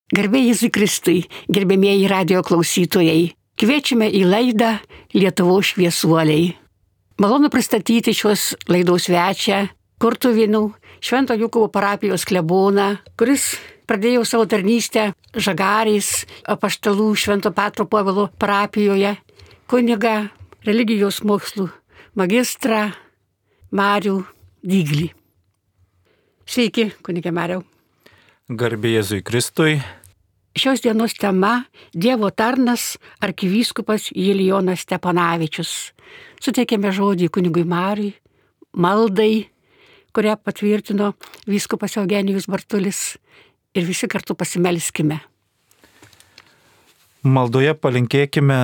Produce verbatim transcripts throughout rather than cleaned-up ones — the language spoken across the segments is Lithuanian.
Garbė Jėzui Kristui, gerbėmieji radijo klausytojai, kviečiame į laidą Lietuvos šviesuoliai. Malonu pristatyti šios laidos svečią, Kurtuvėnų Švento Jokūbo parapijos kleboną, kuris pradėjo savo tarnystę Žagarės apaštalų Švento Petro Povilo parapijoje, kunigą, religijos mokslų magistrą Marių Dyglį. Sveiki, kunige Mariau. Garbė Jėzui Kristui. Šios dienos tema – Dievo tarnas arkivyskupas Julijonas Steponavičius. Suteikėme žodį kunigui Mariui, maldai, kurią patvirtino vyskupas Eugenijus Bartulis, ir visi kartu pasimelskime. Maldoje palinkėkime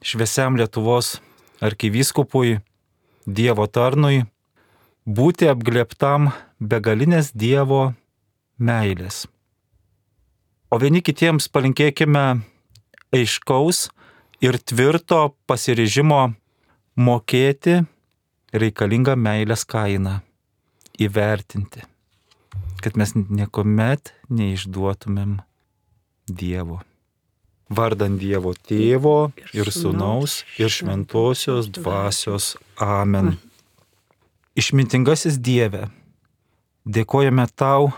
šviesiam Lietuvos arkivyskupui, Dievo tarnui, būti apglėbtam begalinės Dievo meilės. O vieni kitiems palinkėkime aiškaus ir tvirto pasiryžimo mokėti reikalingą meilės kainą, įvertinti, kad mes niekuomet neišduotumėm Dievo. Vardan Dievo Tėvo ir Sūnaus ir Šventosios Dvasios. Amen. Išmintingasis Dieve, dėkojame Tau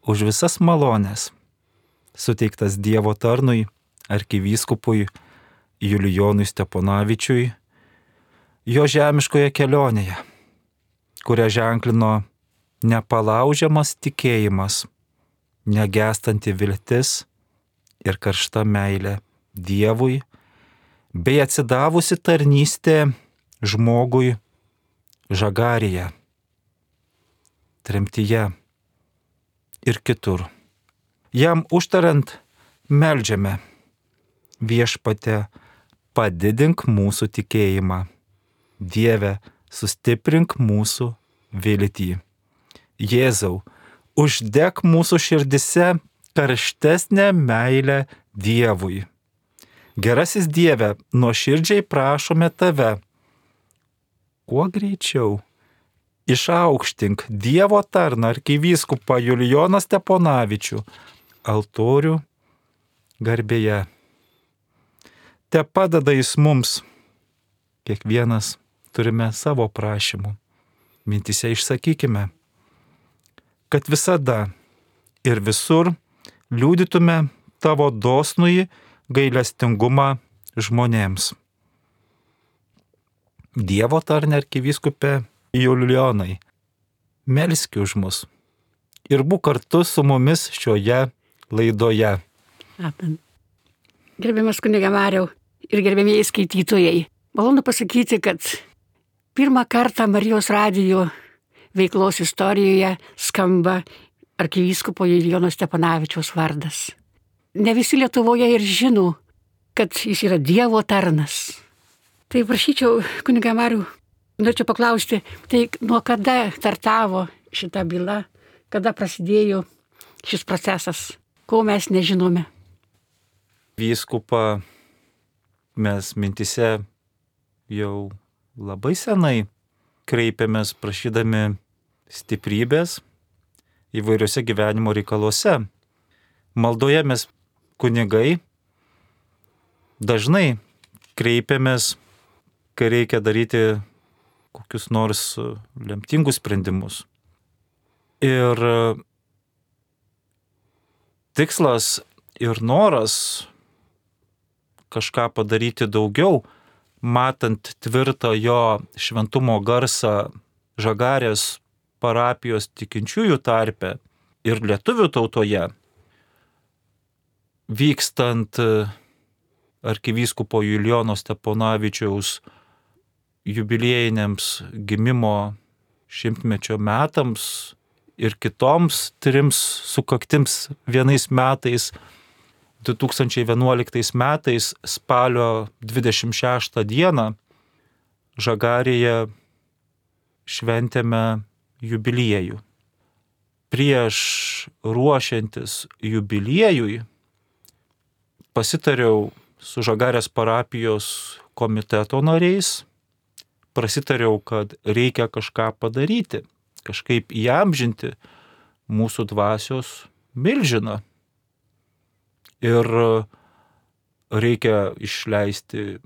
už visas malones, suteiktas Dievo tarnui, arkivyskupui Julijonui Steponavičiui, jo žemiškoje kelionėje, kurią ženklino nepalaužiamas tikėjimas, negęstanti viltis ir karšta meilė Dievui, bei atsidavusi tarnystė žmogui Žagarėje, tremtyje ir kitur. Jam užtariant meldžiame: Viešpatie, padidink mūsų tikėjimą. Dieve, sustiprink mūsų viltį. Jėzau, uždek mūsų širdise karštesnę meilę Dievui. Gerasis Dieve, nuoširdžiai prašome Tave, kuo greičiau išaukštink Dievo tarną arkivyskupą Julijoną Steponavičių altorių garbėje. Te padeda jis mums, kiekvienas turime savo prašymų. Mintise išsakykime, kad visada ir visur liudytume Tavo dosnųjį gailestingumą žmonėms. Dievo tarne arkivyskupė Julijonai, melski už mus ir būk kartu su mumis šioje laidoje. Amen. Gerbiamas kunige Mariau ir gerbėmieji skaitytojai, malonu pasakyti, kad pirmą kartą Marijos radijo veiklos istorijoje skamba arkivyskupo Julijono Steponavičiaus vardas. Ne visi Lietuvoje ir žino, kad jis yra Dievo tarnas. Tai prašyčiau, kunige Mariau, norėčiau paklausti, tai nuo kada startavo šita byla, kada prasidėjo šis procesas, ko mes nežinome? Vyskupą mes mintise jau labai senai kreipiamės prašydami stiprybės įvairiuose gyvenimo reikaluose. Maldoje mes kunigai dažnai kreipiamės, kai reikia daryti kokius nors lemtingus sprendimus. Ir tikslas ir noras kažką padaryti daugiau, matant tvirtą jo šventumo garsą Žagarės parapijos tikinčiųjų tarpe ir lietuvių tautoje, vykstant arkivyskupo Julijono Steponavičiaus jubiliejiniams gimimo šimtmečio metams ir kitoms trims sukaktims vienais metais, du tūkstančiai vienuoliktais metais spalio dvidešimt šeštą dieną Žagarėje šventėme jubiliejų. Prieš ruošiantis jubiliejui pasitariau su Žagarės parapijos komiteto nariais, prasitariau, kad reikia kažką padaryti, kažkaip įamžinti mūsų dvasios milžiną, ir reikia išleisti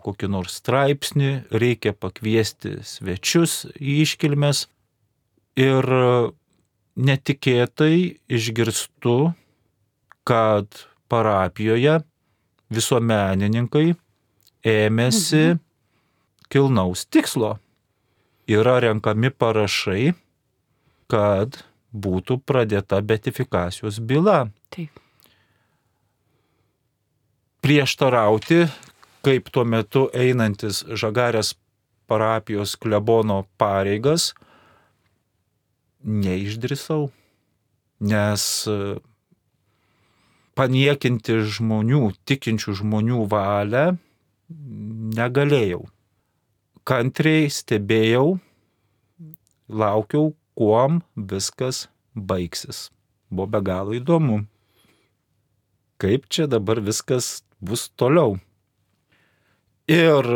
kokį nors straipsnį, reikia pakviesti svečius į iškilmes ir netikėtai išgirstu, kad parapijoje visuomenininkai ėmėsi mhm. kilnaus tikslo. Yra renkami parašai, kad būtų pradėta beatifikacijos byla. Taip. Prieštarauti, kaip tuo metu einantis Žagarės parapijos klebono pareigas, neišdrįsau, nes paniekinti žmonių, tikinčių žmonių valią negalėjau. Kantriai stebėjau, laukiau, kuom viskas baigsis. Buvo be galo įdomu. Kaip čia dabar viskas bus toliau. Ir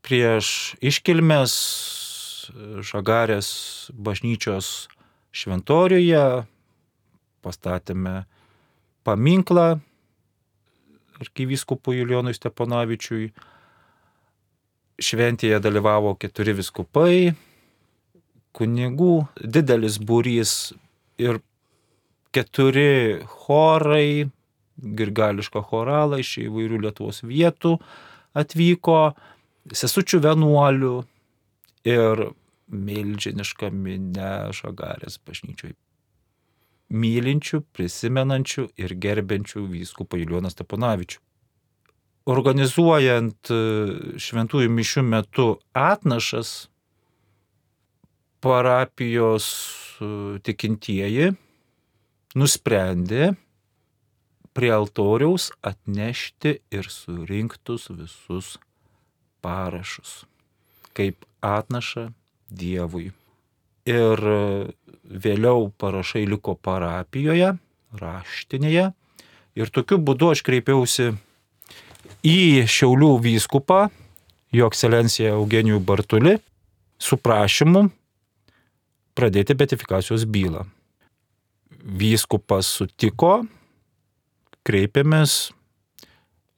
prieš iškilmes Žagarės bažnyčios šventoriuje pastatėme paminklą arkivyskupui Julijonui Steponavičiui. Šventėje dalyvavo keturi vyskupai, kunigų, didelis būrys ir keturi chorai, grigališką choralą iš įvairių Lietuvos vietų atvyko, sesučių vienuolių ir milžiniška minia Žagarės bažnyčioj. Mylinčių, prisimenančių ir gerbiančių vyskupą Julijoną Steponavičių. Organizuojant šventųjų mišių metu atnašas, parapijos tikintieji nusprendė prie altoriaus atnešti ir surinktus visus parašus, kaip atnaša Dievui. Ir vėliau parašai liko parapijoje, raštinėje. Ir tokiu būdu aš kreipiausi į Šiaulių vyskupą, jo ekscelenciją Eugenijų Bartulį, su prašymu pradėti beatifikacijos bylą. Vyskupas sutiko, kreipėmės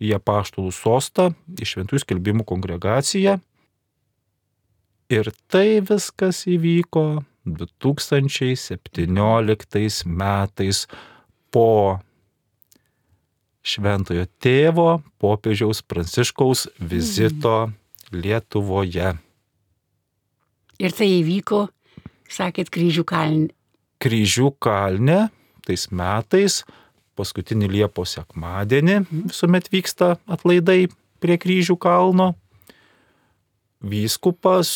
į Apaštalų sostą, į Šventųjų skelbimų kongregaciją. Ir tai viskas įvyko du tūkstančiai septynioliktais metais po Šventojo tėvo popiežiaus Pranciškaus vizito Lietuvoje. Ir tai įvyko, sakėt, Kryžių kalne. Kryžių kalne tais metais, paskutinį Liepos sekmadienį, visuomet vyksta atlaidai prie Kryžių kalno. Vyskupas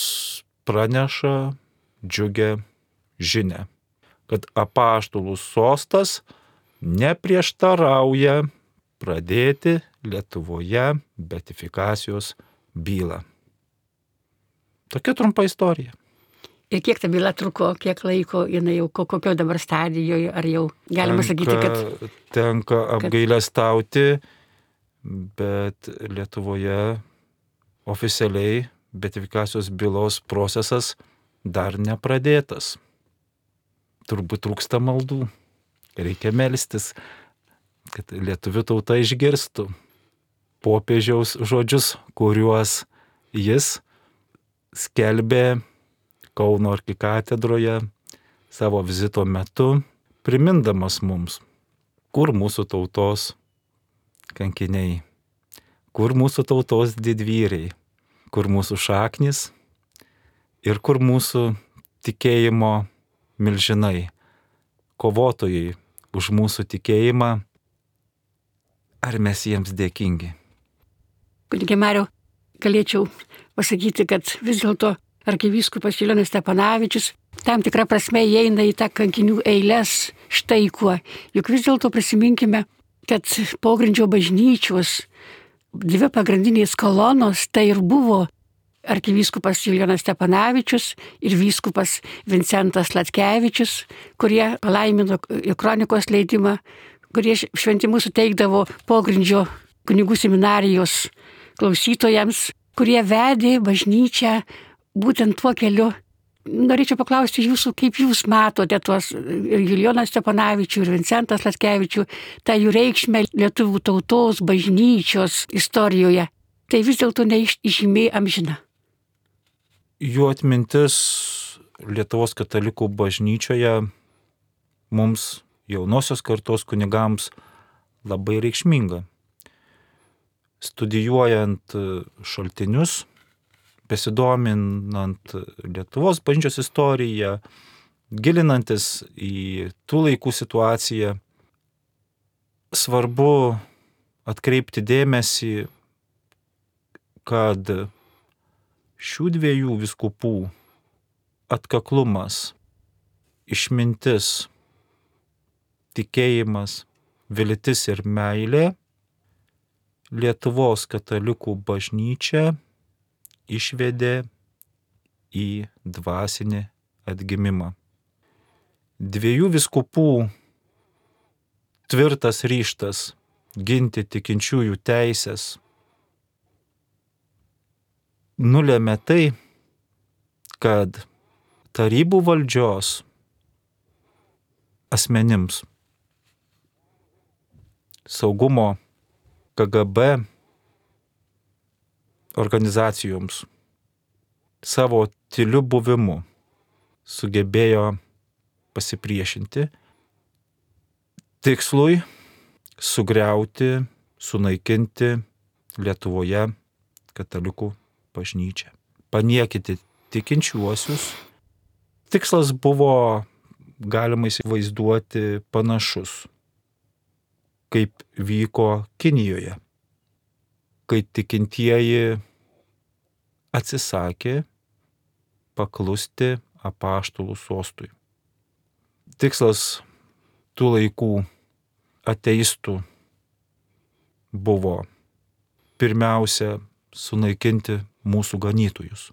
praneša džiugę žinią, kad Apaštalų sostas neprieštarauja pradėti Lietuvoje beatifikacijos bylą. Tokia trumpa istorija. Ir kiek ta byla truko, kiek laiko, jinai jau kokio dabar stadijoje, ar jau galima tenka, sakyti, kad... Tenka apgailestauti, bet Lietuvoje oficialiai beatifikacijos bylos procesas dar nepradėtas. Turbūt trūksta maldų. Reikia melstis, kad lietuvių tauta išgirstų popiežiaus žodžius, kuriuos jis skelbė Kauno arkikatedroje savo vizito metu, primindamas mums, kur mūsų tautos kankiniai, kur mūsų tautos didvyriai, kur mūsų šaknis ir kur mūsų tikėjimo milžinai, kovotojai už mūsų tikėjimą, ar mes jiems dėkingi. Kunige Mariau, galėčiau pasakyti, kad vis dėlto arkivyskupas Julijonas Steponavičius tam tikrą prasme įeina į tą kankinių eiles štai kuo. Juk vis dėlto prisiminkime, kad pogrindžio bažnyčios dvi pagrindinės kolonos tai ir buvo arkivyskupas Julijonas Steponavičius ir vyskupas Vincentas Latkevičius, kurie palaimino kronikos leidimą, kurie šventimus suteikdavo pogrindžio kunigų seminarijos klausytojams, kurie vedė bažnyčią būtent tuo keliu, norėčiau paklausti jūsų, kaip jūs matote tuos ir Julijoną Steponavičių, ir Vincentas Latkevičių, tą jų reikšmę lietuvių tautos, bažnyčios istorijoje. Tai vis dėlto neišžymiai amžina. Jų atmintis Lietuvos katalikų bažnyčioje mums, jaunosios kartos kunigams, labai reikšminga. Studijuojant šaltinius, besidominant Lietuvos bažnyčios istoriją, gilinantis į tų laikų situaciją, svarbu atkreipti dėmesį, kad šių dviejų vyskupų atkaklumas, išmintis, tikėjimas, viltis ir meilė Lietuvos katalikų bažnyčią išvedė į dvasinį atgimimą. Dviejų vyskupų tvirtas ryžtas ginti tikinčiųjų teisės nulėmė tai, kad tarybų valdžios asmenims, saugumo K G B organizacijoms savo tyliu buvimu sugebėjo pasipriešinti tikslui sugriauti, sunaikinti Lietuvoje katalikų bažnyčią, paniekinti tikinčiuosius. Tikslas buvo, galima įsivaizduoti, panašus, kaip vyko Kinijoje, kai tikintieji atsisakė paklusti apaštalų sostui. Tikslas tų laikų ateistų buvo pirmiausia sunaikinti mūsų ganytojus,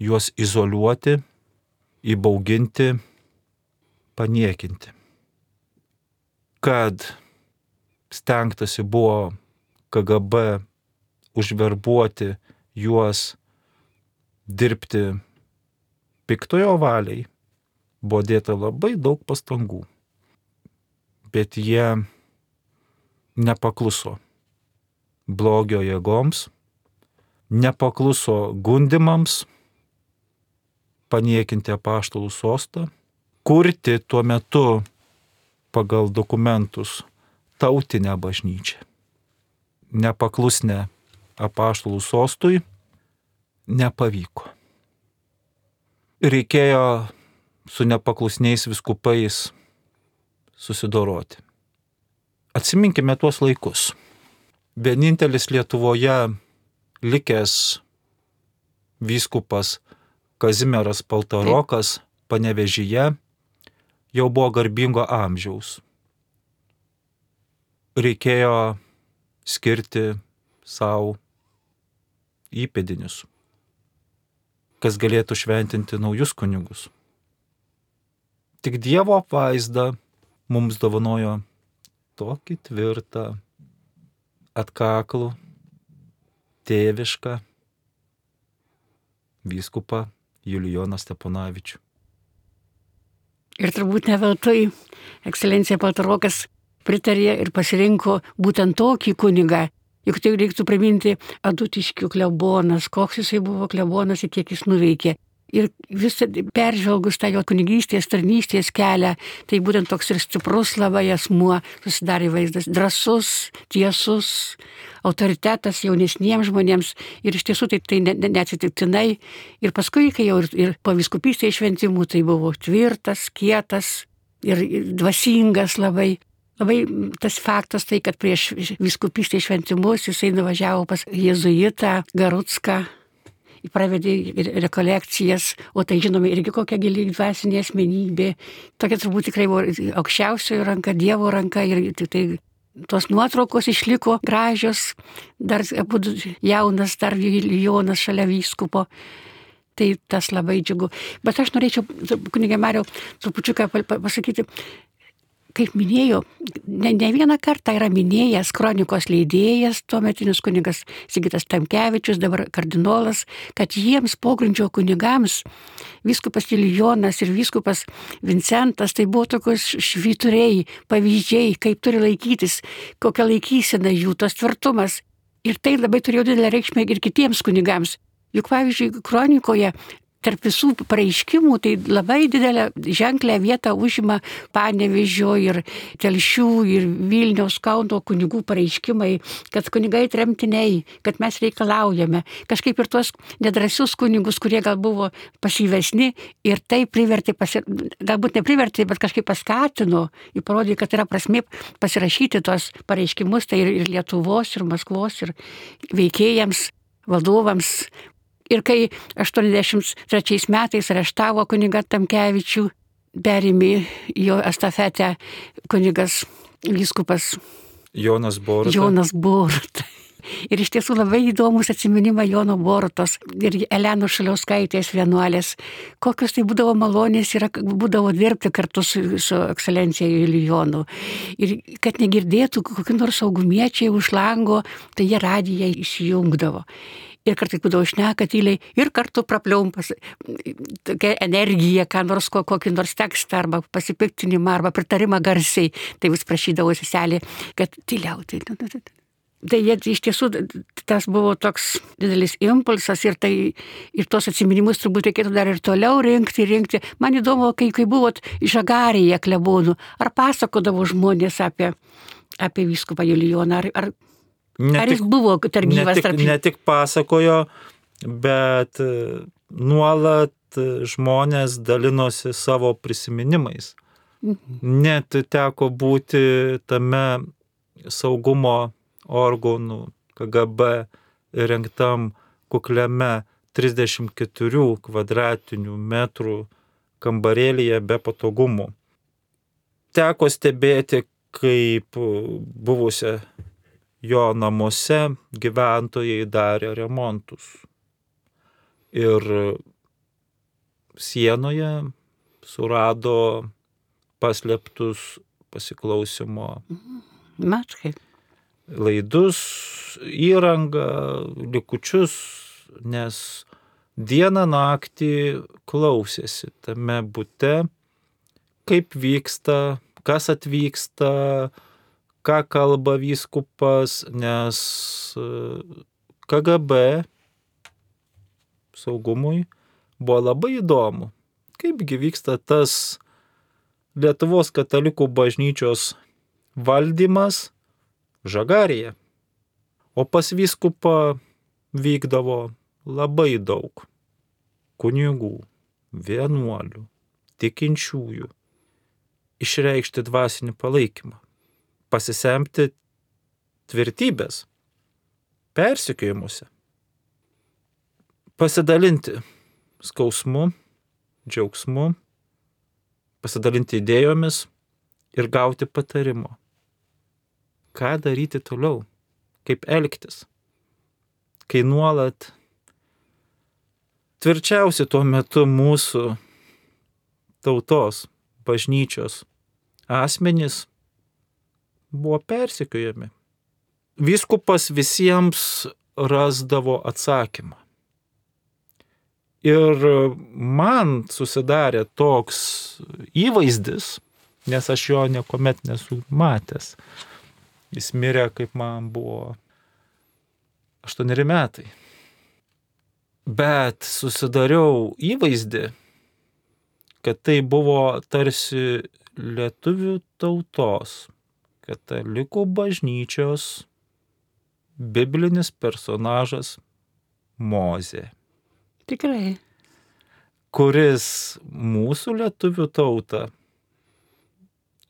juos izoliuoti, įbauginti, paniekinti. Kad stengtasi buvo K G B užverbuoti juos dirbti piktojo valiai, buvo dėta labai daug pastangų, bet jie nepakluso blogio jėgoms, nepakluso gundimams paniekinti apaštalų sostą, kurti tuo metu pagal dokumentus tautinę bažnyčią. Nepaklusnę apaštalų sostui nepavyko. Reikėjo su nepaklusniais vyskupais susidoroti. Atsiminkime tuos laikus. Vienintelis Lietuvoje likęs vyskupas Kazimieras Paltarokas Panevėžyje jau buvo garbingo amžiaus. Reikėjo skirti savo įpėdinius, kas galėtų šventinti naujus kunigus. Tik Dievo apvaizda mums dovanojo tokį tvirtą, atkaklų, tėvišką vyskupą Julijoną Steponavičių. Ir turbūt ne veltui ekscelencija Paltarokas pritarė ir pasirinko būtent tokį kunigą. Juk tai reiktų priminti Adutiškių klebonas, koks jisai buvo klebonas ir kiek jis nuveikė. Ir visą peržvelgus tą jo kunigystės, tarnystės kelią, tai būtent toks ir stiprus labai asmuo susidarė vaizdas, drąsus, tiesus, autoritetas jaunesniems žmonėms. Ir iš tiesų tai, tai neatsitiktinai. Ir paskui, kai jau ir, ir po vyskupystės šventimų, tai buvo tvirtas, kietas ir dvasingas labai. Labai tas faktas tai, kad prieš vyskupystės šventimus jisai nuvažiavo pas jėzuitą Garucką, pravedė rekolekcijas, o tai žinome irgi kokia gili dvasinė asmenybė. Tokia turbūt tikrai buvo aukščiausiojo ranka, Dievo ranka ir tai tos nuotraukos išliko gražios, dar jaunas, dar Julijonas šalia vyskupo. Tai tas labai džiugu. Bet aš norėčiau, kunige Mariau, trupučiuką pasakyti, kaip minėjau, ne, ne vieną kartą yra minėjęs kronikos leidėjas, tuometinis kunigas Sigitas Tamkevičius, dabar kardinolas, kad jiems pogrindžio kunigams vyskupas Julijonas ir vyskupas Vincentas tai buvo tokios švyturiai, pavyzdžiai, kaip turi laikytis, kokia laikysena jų, tas tvirtumas. Ir tai labai turėjo didelę reikšmę ir kitiems kunigams. Juk pavyzdžiui, kronikoje tarp visų pareiškimų tai labai didelę ženklę vietą užima Panevėžio ir Telšių ir Vilniaus, Kauno kunigų pareiškimai, kad kunigai tremtiniai, kad mes reikalaujame. Kažkaip ir tuos nedrąsius kunigus, kurie gal buvo pasyvesni ir tai privertė, pasi... galbūt neprivertė, bet kažkaip paskatino, įparodė, kad yra prasmė pasirašyti tuos pareiškimus, tai ir, ir Lietuvos, ir Maskvos, ir veikėjams, valdovams. Ir kai aštuoniasdešimt trečiais metais areštavo kunigą Tamkevičių, perėmė jo estafetę kunigas vyskupas Jonas Boruta. Jonas Boruta. Ir iš tiesų labai įdomus atsiminimai Jono Borutos ir Elenos Šaliauskaitės vienuolės. Kokios tai būdavo malonės ir būdavo dirbti kartu su, su ekscelencija Julijonu. Ir kad negirdėtų kokių nors saugumiečiai už lango, tai jie radiją įsijungdavo. Ir kartais būdavo šneka tyliai ir kartu prapliumpas tokia energija, ką nors, kokį nors tekstą arba pasipiktinimą arba pritarimą garsiai. Tai vis prašydavo seselė, kad tyliau. Tai, tai, tai. Tai jie iš tiesų tas buvo toks didelis impulsas ir, tai, ir tos atsiminimus turbūt reikėtų dar ir toliau rinkti, rinkti. Man įdomu, kai, kai buvot Žagarėje klebonų, ar pasakodavo žmonės apie, apie vyskupą Julijoną, ar, ar Ne Ar tik, jis buvo tarp gyvas tarp jų? Ne tik pasakojo, bet nuolat žmonės dalinosi savo prisiminimais. Mhm. Net teko būti tame saugumo organų K G B rengtam kukliame trisdešimt keturių kvadratinių metrų kambarėlyje be patogumų. Teko stebėti, kaip buvusią jo namuose gyventojai darė remontus. Ir sienoje surado paslėptus pasiklausimo Mačkai. laidus, įrangą, likučius, nes dieną naktį klausėsi tame bute, kaip vyksta, kas atvyksta, ką kalba vyskupas, nes K G B saugumui buvo labai įdomu, kaipgi vyksta tas Lietuvos katalikų bažnyčios valdymas Žagarėje. O pas vyskupą vykdavo labai daug kunigų, vienuolių, tikinčiųjų, išreikšti dvasinį palaikymą, pasisemti tvirtybės persekiojimuose, pasidalinti skausmu, džiaugsmu, pasidalinti idėjomis ir gauti patarimo. Ką daryti toliau, kaip elgtis, kai nuolat tvirčiausi tuo metu mūsų tautos, bažnyčios asmenys buvo persekiojami. Vyskupas visiems rasdavo atsakymą. Ir man susidarė toks įvaizdis, nes aš jo niekuomet nesu matęs. Jis mirė, kaip man buvo aštuoneri metai. Bet susidariau įvaizdį, kad tai buvo tarsi lietuvių tautos, katalikų bažnyčios biblinis personažas Mozė. Tikrai. Kuris mūsų lietuvių tautą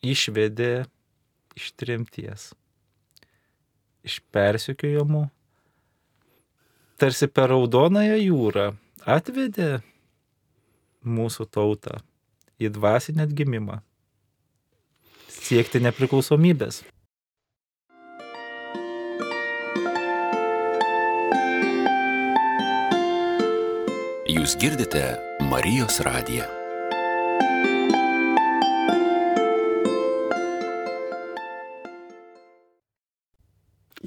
išvedė iš tremties, iš persekiojimų, tarsi per Raudonąją jūrą atvedė mūsų tautą į dvasinį atgimimą, siekti nepriklausomybės. Jūs girdite Marijos radiją.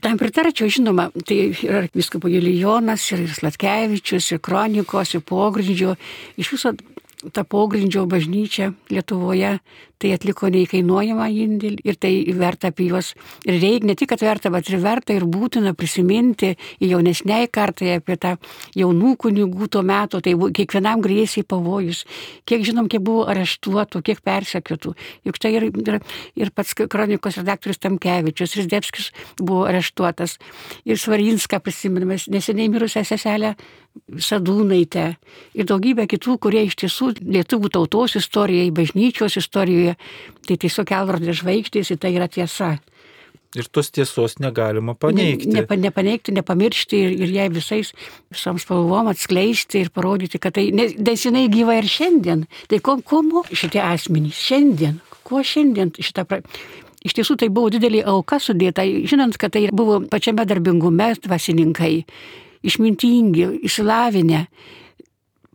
Tam pritarčiau, žinoma, tai ir arkivyskupo Julijonas, ir Sladkevičius, ir Kronikos, ir Pogrindžio, iš viso ta Pogrindžio bažnyčia Lietuvoje, tai atliko neįkainuojamą indėlį ir tai verta apie juos. Ir reikia ne tik, kad verta, bet ir verta ir būtina prisiminti jaunesniai kartai apie tą jaunų kunigų to meto, tai kiekvienam grėsė pavojus. Kiek žinom, kiek buvo areštuotų, kiek persekiotų. Juk tai ir, ir, ir pats Kronikos redaktorius Tamkevičius, ir Zdebskis buvo areštuotas. Ir Svarinską prisiminame, neseniai mirusią seselę Sadūnaitę. Ir daugybę kitų, kurie iš tiesų lietuvių tautos istorijai, bažnyčios istorijoje, tai tiesiog kelrodė žvaigždės, tai yra tiesa. Ir tos tiesos negalima paneigti. Ne, ne, nepaneigti, nepamiršti ir, ir jai visais, visom spalvom atskleisti ir parodyti, kad tai, nes jinai gyva ir šiandien. Tai ko, ko moko šitie asmenys šiandien? Kuo šiandien šitą... Pra... Iš tiesų tai buvo didelį auka sudėta, žinant, kad tai buvo pačiame darbingume dvasininkai, išmintingi, išsilavinę,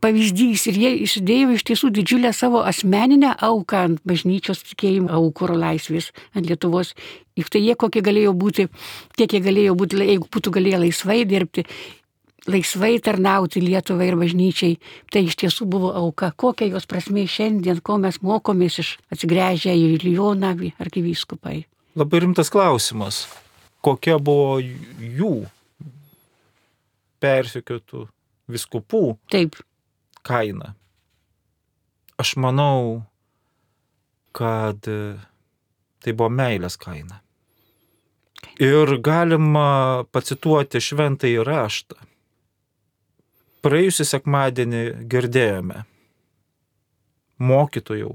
pavyzdys ir jie įsidėjo iš tiesų didžiulę savo asmeninę auką ant bažnyčios tikėjimo aukuro laisvės, ant Lietuvos. Juk tai jie kokie galėjo būti, kiek jie galėjo būti, jeigu būtų galėję laisvai dirbti, laisvai tarnauti Lietuvai ir bažnyčiai, tai iš tiesų buvo auka. Kokia jos prasmė šiandien, ko mes mokomės iš atsigręžę į Julijoną arkivyskupai. Labai rimtas klausimas. Kokia buvo jų persekiotų vyskupų Taip. kaina? Aš manau, kad tai buvo meilės kaina. Ir galima pacituoti šventąjį raštą. Praėjusį sekmadienį girdėjome: mokytojau,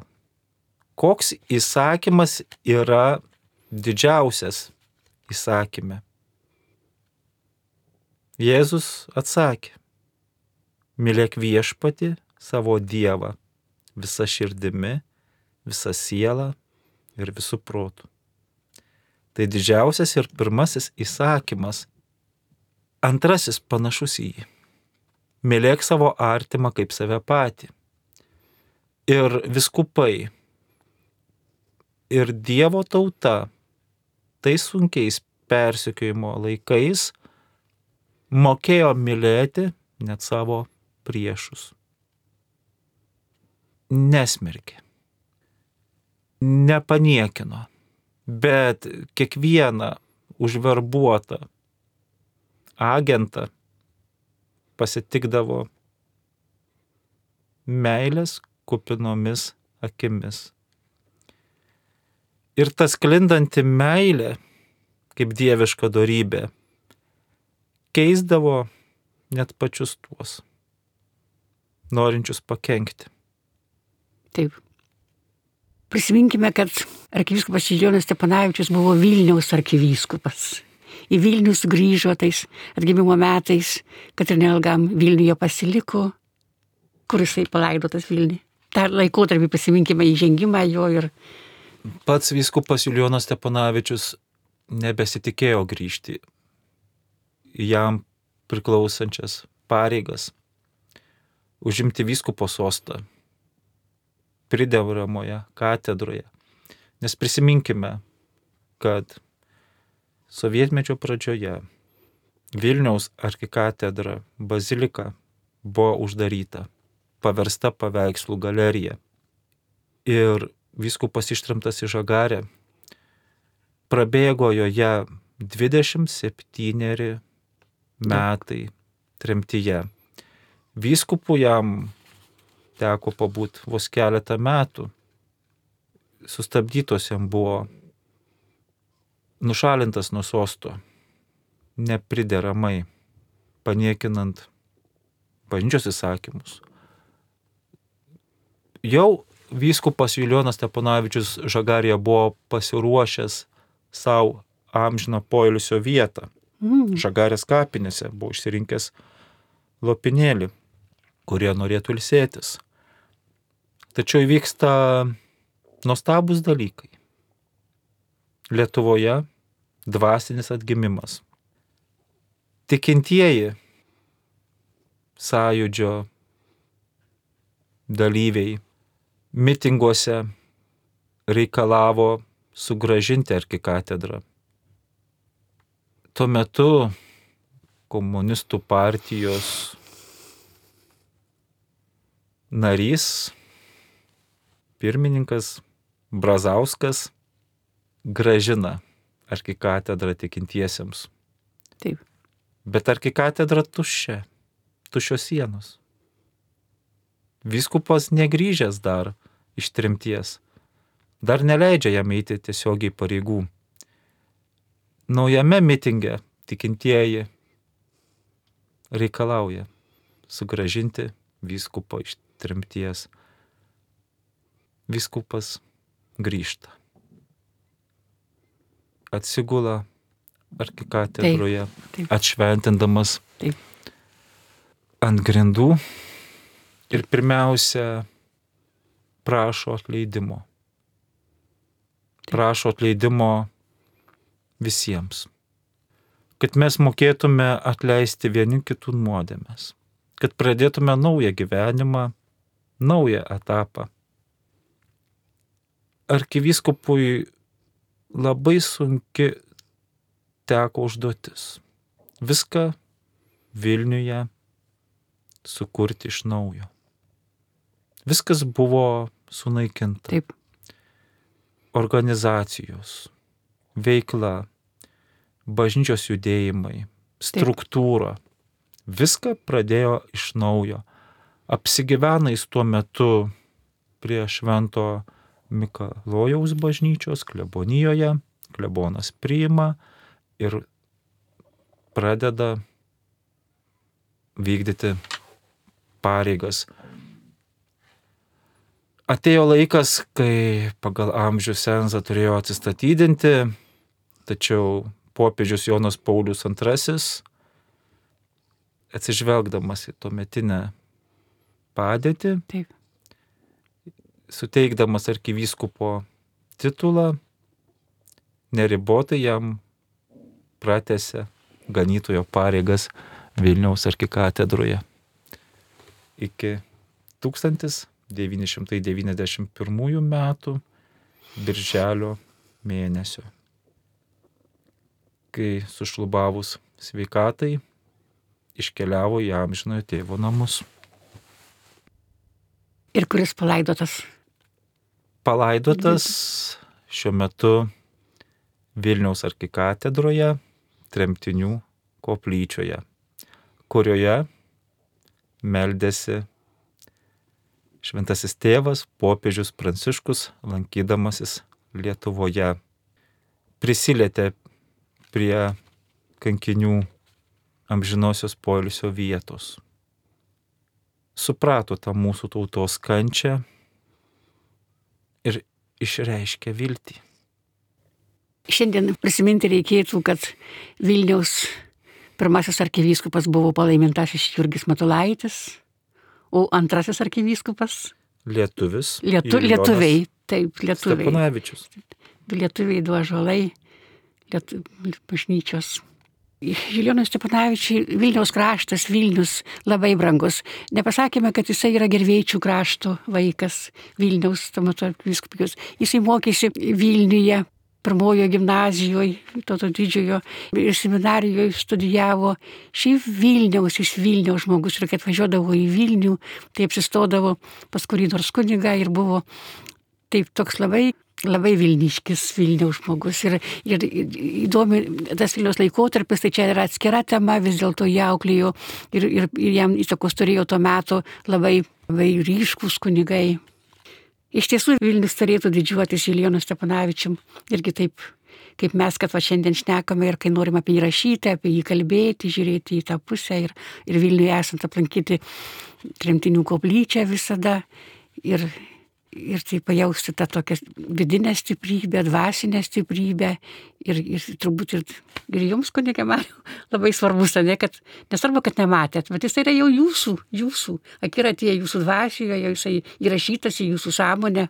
koks įsakymas yra didžiausias įsakyme? Jėzus atsakė: mylėk viešpatį savo Dievą visa širdimi, visa siela ir visų protų. Tai didžiausias ir pirmasis įsakymas. Antrasis panašus į jį. Mylėk savo artimą kaip save patį. Ir vyskupai, ir Dievo tauta tais sunkiais persekiojimo laikais mokėjo mylėti net savo priešus. Nesmerkė, nepaniekino, bet kiekvieną užverbuotą agentą pasitikdavo meilės kupinomis akimis. Ir tas sklindanti meilė, kaip dieviška dorybė, keisdavo net pačius tuos, norinčius pakenkti. Taip. Prisiminkime, kad arkivyskupas Julijonas Stepanavičius buvo Vilniaus arkivyskupas. Į Vilnių sugrįžo tais atgimimo metais, kad ir neilgam Vilniuje pasiliko, kur jisai palaidotas Vilniuje. tą laikotarpį prisiminkime įžengimą jo ir... Pats vyskupas Julijonas Stepanavičius nebesitikėjo grįžti į jam priklausančias pareigas, užimti vyskupo sostą pridevramoje katedroje. Nes prisiminkime, kad sovietmečio pradžioje Vilniaus arkikatedra bazilika buvo uždaryta, paversta paveikslų galerija. Ir vyskupas ištremtas į Žagarę prabėgo joje dvidešimt septyneri metai tremtyje. Vyskupų jam teko pabūt vos keletą metų. Sustabdytos jam buvo, nušalintas nuo sosto, neprideramai, paniekinant bažnyčios įsakymus. Jau vyskupas Julijonas Stepanavičius Žagarėje buvo pasiruošęs savo amžiną poilsio vietą. Mm. Žagarės kapinėse buvo išsirinkęs lopinėlį, kurie norėtų ilsėtis. Tačiau įvyksta nuostabus dalykai. Lietuvoje dvasinis atgimimas. Tikintieji sąjūdžio dalyviai mitinguose reikalavo sugrąžinti arkikatedrą. tuo metu komunistų partijos narys, pirmininkas Brazauskas grąžina arkikatedrą tikintiesiems. Taip. Bet arkikatedra tuščia, tuščios sienos. Vyskupas negrįžęs dar iš tremties, dar neleidžia jam eiti tiesiogiai pareigų. Naujame mitinge tikintieji reikalauja sugrąžinti vyskupą iš tremties. Vyskupas grįžta. Atsigula arkikatedroje, Taip, taip. atšventindamas Taip. ant grindų ir pirmiausia prašo atleidimo. Taip. Prašo atleidimo visiems. Kad mes mokėtume atleisti vieni kitų nuodėmes. Kad pradėtume naują gyvenimą, naują etapą. Arkivyskupui labai sunki teko užduotis. Viską Vilniuje sukurti iš naujo. Viskas buvo sunaikinta. Taip. Organizacijos, veikla, bažnyčios judėjimai, struktūra. Viską pradėjo iš naujo. Apsigyvena jis tuo metu prie Švento Mikalojaus bažnyčios klebonijoje. Klebonas priima ir pradeda vykdyti pareigas. Atėjo laikas, kai pagal amžių cenzą turėjo atsistatydinti, tačiau popiežius Jonas Paulius antrasis, atsižvelgdamas į tuometinę padėtį, Taip. suteikdamas arkivyskupo titulą, neribotai jam pratęsė ganytojo pareigas Vilniaus arkikatedroje. Iki tūkstantis devyni šimtai devyniasdešimt pirmųjų metų birželio mėnesio, kai sušlubavus sveikatai iškeliavo į amžinojo tėvo namus. Ir kuris palaidotas? Palaidotas šiuo metu Vilniaus arkikatedroje, tremtinių koplyčioje, kurioje meldėsi šventasis tėvas popiežius Pranciškus, lankydamasis Lietuvoje. Prisilietė prie kankinių amžinosios poilsio vietos. Suprato tą mūsų tautos kančią ir išreiškė viltį. Šiandien prisiminti reikėtų, kad Vilniaus pirmasis arkivyskupas buvo palaimintasis Jurgis Matulaitis, o antrasis arkivyskupas Lietuvis. Lietu, Julijonas lietuviai, taip, lietuviai. Steponavičius. Du lietuviai, du ąžuolai, lietu, bažnyčios. Julijonui Steponavičiui Vilniaus kraštas, Vilnius labai brangus. Nepasakėme, kad jisai yra Gervėčių krašto vaikas, Vilniaus, tuo metu arkivyskupijos. Jisai mokėsi Vilniuje, pirmojo gimnazijoje, Vytauto didžiojo, ir seminarijoje studijavo. Šiaip Vilniaus, iš Vilniaus žmogus, ir kai atvažiuodavo į Vilnių, tai apsistodavo pas kurį nors kunigą ir buvo taip toks labai, labai Vilniškis Vilniaus žmogus. Ir, ir, ir įdomi tas Vilniaus laikotarpis, tai čia yra atskira tema, vis dėlto jį auklėjo ir, ir, ir jam įtakos turėjo to meto labai, labai ryškūs kunigai. Iš tiesų Vilnius turėtų didžiuotis Julijonu Steponavičium irgi taip, kaip mes, kad va šiandien šnekame ir kai norim apie jį rašyti, apie jį kalbėti, žiūrėti į tą pusę ir, ir Vilniuje esant aplankyti tremtinių koplyčią visada ir, ir tai pajausti tą tokią vidinę stiprybę, dvasinę stiprybę ir, ir turbūt ir, ir jums, kunige Mariau, labai svarbus, ne, kad nesvarbu, kad nematėt, bet jis yra jau jūsų, jūsų, akiratyje, jūsų dvasioje, jisai įrašytas į jūsų sąmonę.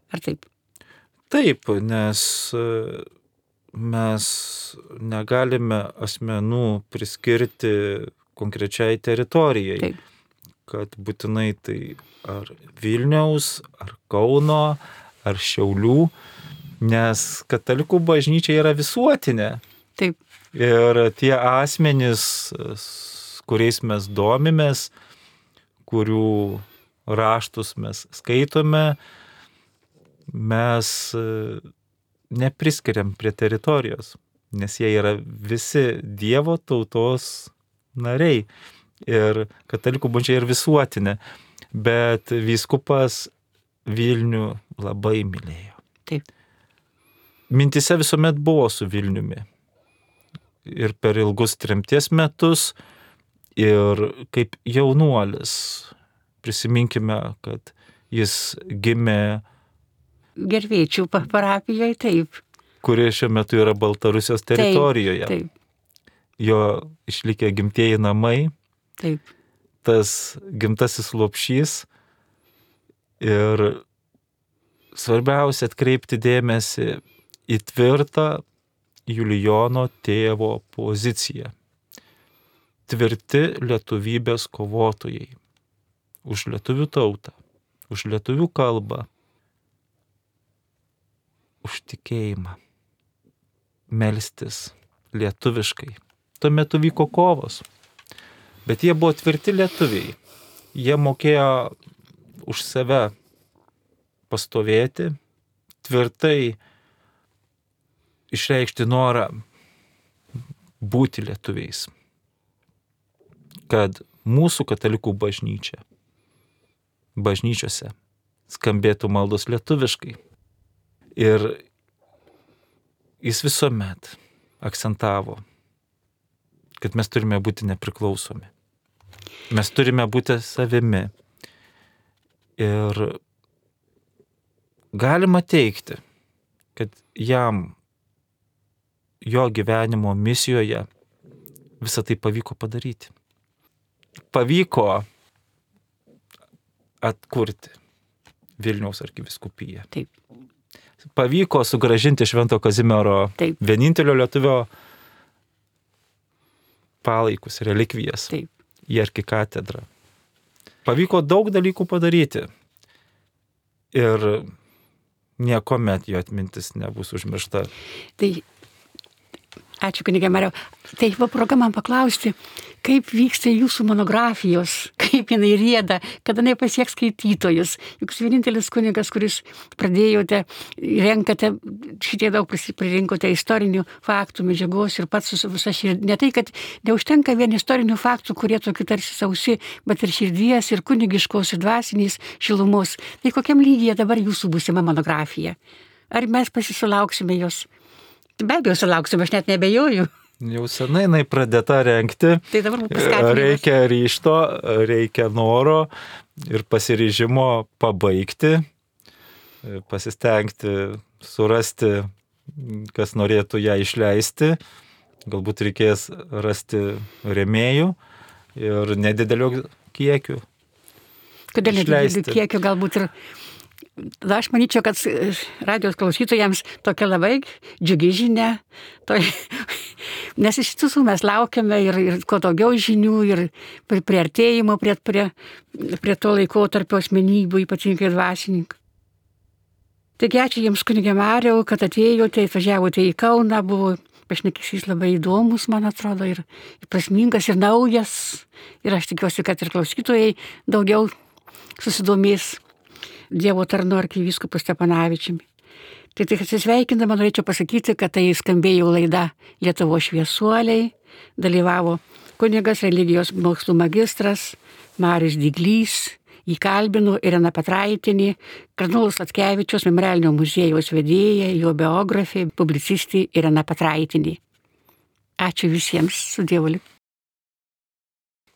Ar taip? Taip, nes mes negalime asmenų priskirti konkrečiai teritorijai. Taip. Kad būtinai tai ar Vilniaus, ar Kauno, ar Šiaulių, nes katalikų bažnyčia yra visuotinė. Taip. Ir tie asmenys, kuriais mes domimės, kurių raštus mes skaitome, mes nepriskiriam prie teritorijos, nes jie yra visi Dievo tautos nariai. Ir katalikų bažnyčia yra visuotinė, bet vyskupas Vilnių labai mylėjo. Taip. Mintise visuomet buvo su Vilniumi. Ir per ilgus tremties metus, ir kaip jaunuolis. Prisiminkime, kad jis gimė Gervėčių parapijoje, taip. Kuri šiuo metu yra Baltarusijos teritorijoje. Taip, taip. Jo išlikę gimtieji namai. Taip. Tas gimtasis lopšys. Ir svarbiausia atkreipti dėmesį į tvirtą Julijono tėvo poziciją. Tvirti lietuvybės kovotojai. Už lietuvių tautą, už lietuvių kalbą, už tikėjimą. Melstis lietuviškai. Tuo metu vyko kovos. Bet jie buvo tvirti lietuviai. Jie mokėjo už save pastovėti, tvirtai išreikšti norą būti lietuviais. Kad mūsų katalikų bažnyčia, bažnyčiose skambėtų maldos lietuviškai. Ir jis visuomet akcentavo, kad mes turime būti nepriklausomi. Mes turime būti savimi. Ir galima teigti, kad jam, jo gyvenimo misijoje visą tai pavyko padaryti. Pavyko atkurti Vilniaus arkivyskupiją. Taip. Pavyko sugrąžinti Švento Kazimiero Taip. vienintelio lietuvio palaikus, relikvijas Taip. į arkikatedrą. Pavyko daug dalykų padaryti ir niekuomet jo atmintis nebus užmiršta. Tai ačiū, kunige Mariau. Tai va proga man paklausti, kaip vyksta jūsų monografijos, kaip jinai rieda, kada jinai pasieks skaitytojus. Juk jūs vienintelis kunigas, kuris pradėjote, renkate, šitie daug pririnkote istorinių faktų, medžiagos ir pats su visa širdį. Ne tai, kad neužtenka vien istorinių faktų, kurie tokie tarsi sausi, bet ir širdies, ir kunigiškos, ir dvasinės šilumos. Tai kokiam lygyje dabar jūsų būsima monografija? Ar mes pasisulauksime jos? Be abejo, sulauksime, aš net nebejoju. Jau senai jinai pradėta rengti. Tai dabar paskatinimas. Reikia ryžto, reikia noro ir pasiryžimo pabaigti, pasistengti surasti, kas norėtų ją išleisti. Galbūt reikės rasti rėmėjų ir nedidelio kiekių. Kodėl nedidelių kiekių, galbūt ir... Tada aš manyčiau, kad radijos klausytojams tokia labai džiugi žinia, to, nes iš tiesų mes laukiame ir, ir kuo daugiau žinių ir priartėjimo prie, prie, prie to laikotarpio asmenybių, ypatingai dvasininkų. Taigi ačiū Jums, kunige Mariau, kad atėjote, atvažiavote į Kauną, buvo pašnekesys labai įdomus, man atrodo, ir, ir prasmingas, ir naujas, ir aš tikiuosi, kad ir klausytojai daugiau susidomės Dievo tarnu arkivyskupu Stepanavičiumi. Tai tik atsisveikindama norėčiau pasakyti, kad tai skambėjo laida Lietuvos šviesuoliai, dalyvavo kunigas religijos mokslų magistras Marius Diglys, jį kalbino Irena Petraitienė, kardinolas Sladkevičius Memorialinio muziejaus vedėja, jo biografė, publicistė Irena Petraitienė. Ačiū visiems, su Dievu.